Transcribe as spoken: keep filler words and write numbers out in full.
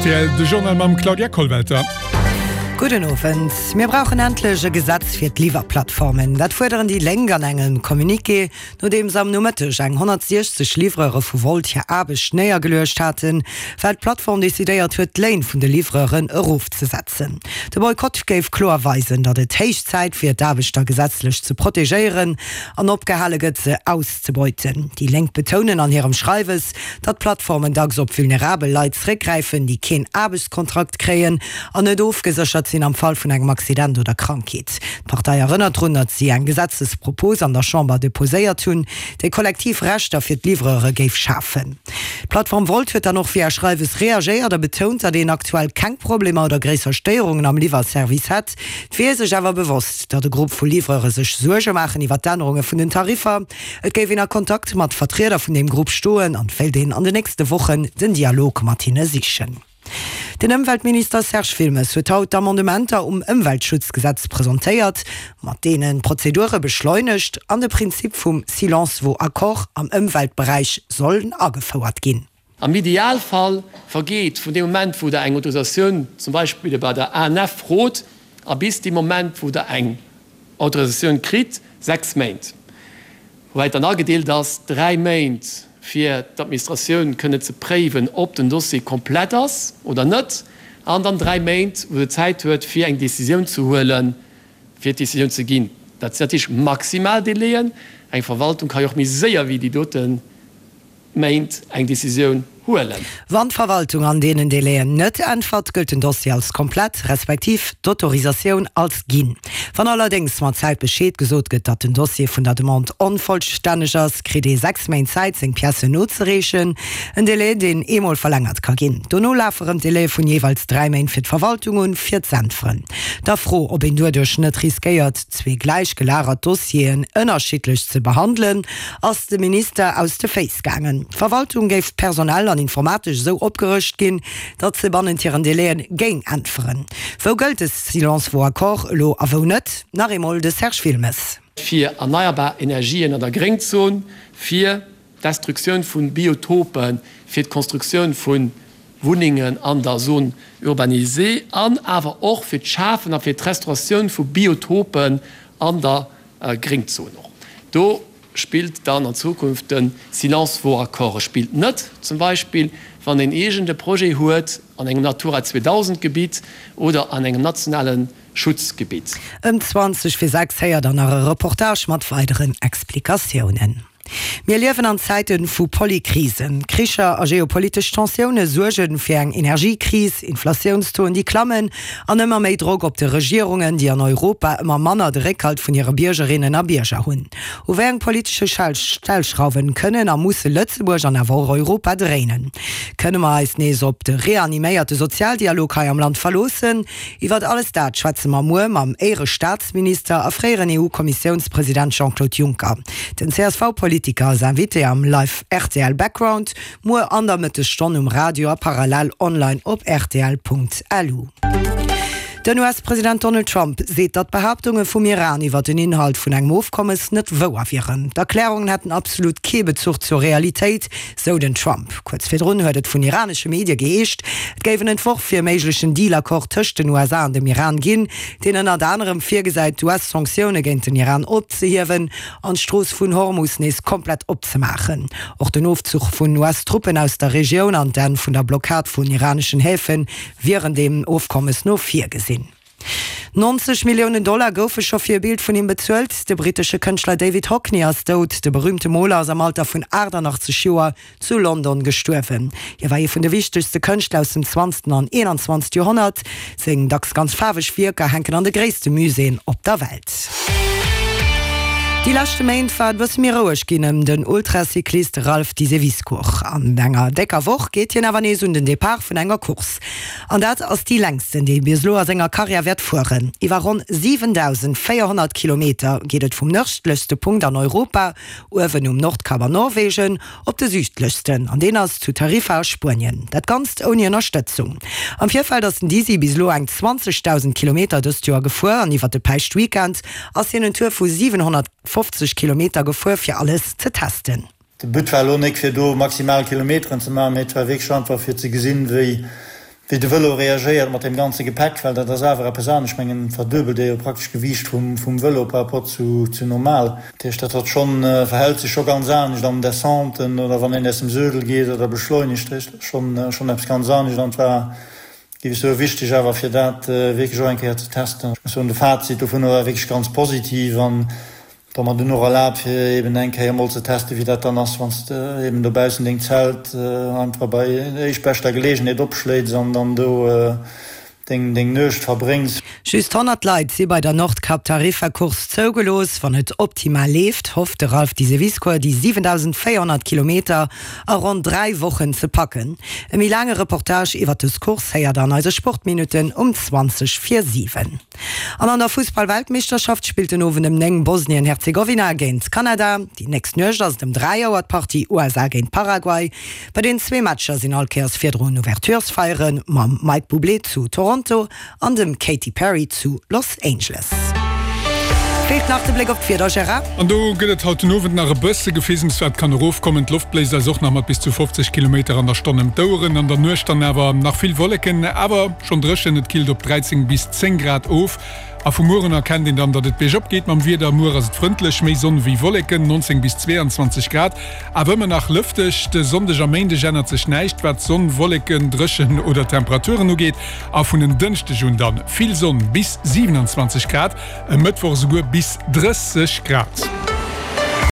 Rtl, de Journal mam Claudia Kollwelter. Gudden Owend. Mir brauchen endlech e Gesetz fir d'Liwwerplattformen. Dat fuerderen déi Lénk an engem Communiqué, nodeems am Nomëtteg eng honnertsiechzeg Livreure vu Wolt hir Aarbecht néiergeluecht haten, well d'Plattform decidéiert huet, d'Léin vun de Livreuren erofzesetzen. De Boykott géif kloer weisen, datt et héich Zäit wier, d'Aarbechter gesetzlech ze protegéieren an opgehale gëtt, se auszebeuten. Déi Lénk betounen an hirem Schreiwes, datt d'Plattformen dacks op vulnerabel Leit zeréckgräifen, déi keen Aarbechtskontrakt kréien an net ofgeséchert sinn am Fall vun engem Accident oder Krankheet. D'Partei erënnert drun, datt si eng Gesetzespropos an der Chamber deposéiert hunn, déi kollektiv Rechter fir d'Livreure géif schafen. D'Plattform Wolt huet dann och via Schreiwes reagéiert a betount, datt een aktuell keng Problemer oder gréisser Stéierungen am Liwwerservice hätt. Et wier ee sech awer bewosst, datt e Grupp vu Livreure sech Suerge maachen iwwer d'Ännerunge vun den Tariffer. Et géif een a Kontakt mat Vertrieder vun deem Grupp stoen an wéilt een an den nächste Wochen den Dialog mat hinne sichen. Den Ëmweltminister Serge Wilmes huet haut d'Amendementer um Ëmweltschutzgesetz presentéiert, mat deenen d'Prozedure beschleunegt an de Prinzip vum Silence vaut accord am Ëmweltberäich sollen agefouert ginn. Am Idealfall vergeet vun deem Moment, wou Der eng Autorisatioun zum Beispill bei der A N F frot, a bis dee Moment, wou Der eng Autorisatioun kritt, sechs Méint, woubäi et dann agedeelt ass, dräi Méint fir d'Administratioun kënne ze préiwen, ob den Dossier komplett ass oder net, an dann dräi Méint, wou se Zäit huet, fir eng Décisioun ze huelen, fir d'Décisioun ze ginn. Dat sinn natierlech maximal Délaiën. Eng Verwaltung ka jo och méi séier wéi déi dote Méint eng Décisioun huelen. Wann d'Verwaltung an deenen Délaiën net äntwert, gëllt den Dossier als komplett, respektiv d'Autorisatioun als ginn. Wann allerdéngs mat Zäit Bescheed gesot gëtt, datt den Dossier vun der Demande onvollstänneg ass, kritt ee sechs Méint Zäit, seng Piècen nozereechen. En Délai, deen eemol verlängert ka ginn. Dono lafe rëm Délaië vun jeeweils dräi Méint fir d'Verwaltung un, fir z'äntweren. Der Fro, ob een doduerch net riskéiert, zwee gläich gelagert Dossieren ënnerschiddlech ze behandelen, ass de Minister aus de Féiss gaangen. D'Verwaltung géif personell an informatesch esou opgerëscht ginn, datt se bannent hiren Délaië géing äntweren. Wou gëllt de Silence vaut accord elo a wou net? Nach eemol de Serge Wilmes. Fir erneierbar Energien an der Gréngzon, fir d'Destruktioun vu Biotopen, fir d'Konstruktioun vu Wunnengen an der Zone urbanisée an awer och fir d'Schafen a fir d'Restauratioun vu Biotopen an der Gréngzon. Och do spillt dann an Zukunft de Silence vaut accord. E spillt net zum Beispill, wann een iergend e Projet huet an engem Natura zweedausend Gebitt oder an engem nationale Schutzgebitt. Ëm zwanzeg vir sechs héiert der nach e Reportage mat weideren Explikatiounen. Mir liewen an Zäite vu Polykrisen. Kricher a geopolitesch Tensioune suerge fir eng Energiekris, Inflatiounstoen déi klammen an ëmmer méi Drock op de Regierungen, déi an Europa ëmmer manner de Réckhalt vun hire Biergerinnen a Bierger hunn. U wéi eng politesche Stellschrauwen kënnen a musse Lëtzebuerg an awer och Europa dréinen? Kënne mer eis nees op de reaniméierte Sozialdialog hei am Land verloossen? Iwwert alles dat schwätze mer muer mam Éierestaatsminister a fréieren E U-Kommissiounspresident Jean-Claude Juncker. Den C S V-Politiker ass Invité am Live R T L Background muer an der Mëttesstonn um Radio a parallel online op rtl Punkt L U. Den U S-President Donald Trump seet, datt d'Behaaptunge vum Iran iwwer den Inhalt vun engem Ofkommes net wouer wieren. D'Erklärungen hätten absolut kee Bezuch zur Realitéit, sou den Trump. Kuerz virdrun huet et vun iranesche Medie geheescht, et géif en Entworf fir e méiglechen Deal-Accord tëscht den U S A an dem Iran ginn, deen ënnert anerem virgesäit, d'U S-Sanktioune géint den Iran opzehiewen an d'Strooss vun Hormus nees komplett opzemaachen. Och den Ofzuch vun U S-Truppen aus der Regioun an d'Enn vun der Blockad vun iraneschen Häfe wieren deem Ofkommes no virgesinn. nonzeg Milliounen Dollar goufe scho fir e Bild vun him bezuelt. De brittesche Kënschtler David Hockney ass dout. De berüümte Moler ass am Alter vun achtannachtzeg Joer zu London gestuerwen. Hie war ee vun de wichtegste Kënschtler aus dem zwanzegsten an eenanzwanzegste Joerhonnert. Seng dacks ganz faarweg Wierker hänken an de gréisste Muséeën op der Welt. Déi leschte Méint war et e bësse méi roueg ginn ëm den Ultracyclist Ralph Diseviscourt. An enger décker Woch geet hien awer nees un den Depart vun enger Course. An dat ass déi längsten, déi hie bis elo a senger Karriär wäert fueren. Iwwer ronn siwendausendvéierhonnert Kilometer geet et vum nërdlechste Punkt an Europa, uewen um Nordkap an Norwegen, op de südlechsten, an deen ass zu Tarifa a Spuenien. Dat Ganzt ouni Ënnerstëtzung. Am Virfeld ass den Dizzy bis elo eng zwanzegdausend Kilometer dëst Joer gefuer an iwwer de Päischtweekend ass hien en Tour vu siwenhonnertfofzeg Kilometer gefuer, fir alles ze testen. De But war elo net fir do maximal Kilometeren ze maachen, mee et war wierklech einfach fir ze gesinn, wéi wéi de Vëlo reagéiert mat deem ganze Gepäck, well dat ass awer eppes anescht. Ech mengen, et verduebelt ee jo praktesch d'Gewiicht vum vum Vëlo par rapport zu zu normal. Dat heescht, dat hat schonn, verhält sech scho ganz anescht an Descenten oder wann een aus dem Suedel geet oder beschleunegt. Dat ass schonn schonn eppes ganz anescht an et war, géif ech soen, wichteg awer fir dat wierklech och eng Kéier ze testen. Ech muss soen, de Fazit dovunner war wierklech ganz positiv an Et huet mer dunn och erlaabt fir eben eng Kéier emol ze testen, wéi dat dann ass, wann s de eben dobaussen deng Zelt einfach bei éischtbeschter Geleegenheet opschléits an dann do deng deng Nuecht verbréngs. Just honnert Leit si bei der Nordkap-Tarifa-Course zougelooss. Wann et optimal leeft, hofft de Ralph Diseviscourt déi siwendausendvéierhonnert Kilometer a ronn dräi Wochen ze packen. E méi laange Reportage iwwer dës Course héiert der an eise Sportminutten um zwanzeg vir siwen. An an der Fussball-Weltmeeschterschaft spillt den Owend ëm néng Bosnien-Herzegowina géint Kanada. Déi nächst Nuecht ass et ëm dräi Auer d'Partie U S A géint Paraguay. Bei den zwee Matcher sinn all Kéiers virdrun Ouverturesfeiere mam Mike Bublé zu Toronto an dem Katy Perry zu Los Angeles. Feelt nach de Bléck op d'Wieder, Gérard? An do gëtt et haut den Owend nach e bësse Gefeesems, wat kann erofkommen. D'Loft bléist eis och nach mat bis zu fofzeg Kilometer an der Stonn ëm d'Oueren. An der Nuecht dann awer nach vill Wolleken, awer schonn dréchen. Et killt op dräizéng bis zéng Grad of. A vu muer un erkennt een dann, datt et biergop geet mam Wieder. Muer ass et frëndlech, méi Sonn wéi Wolleken, nonzéng bis zweeanzwanzeg Grad, awer ëmmer nach lëfteg. De Sonndeg a Méindeg ännert sech näischt, wat Sonn, Wolleken, dréchen oder Temperaturen ugeet. A vun en Dënschdeg un dann vill Sonn, bis siwenanzwanzeg Grad, e Mëttwoch esouguer bis drësseg Grad.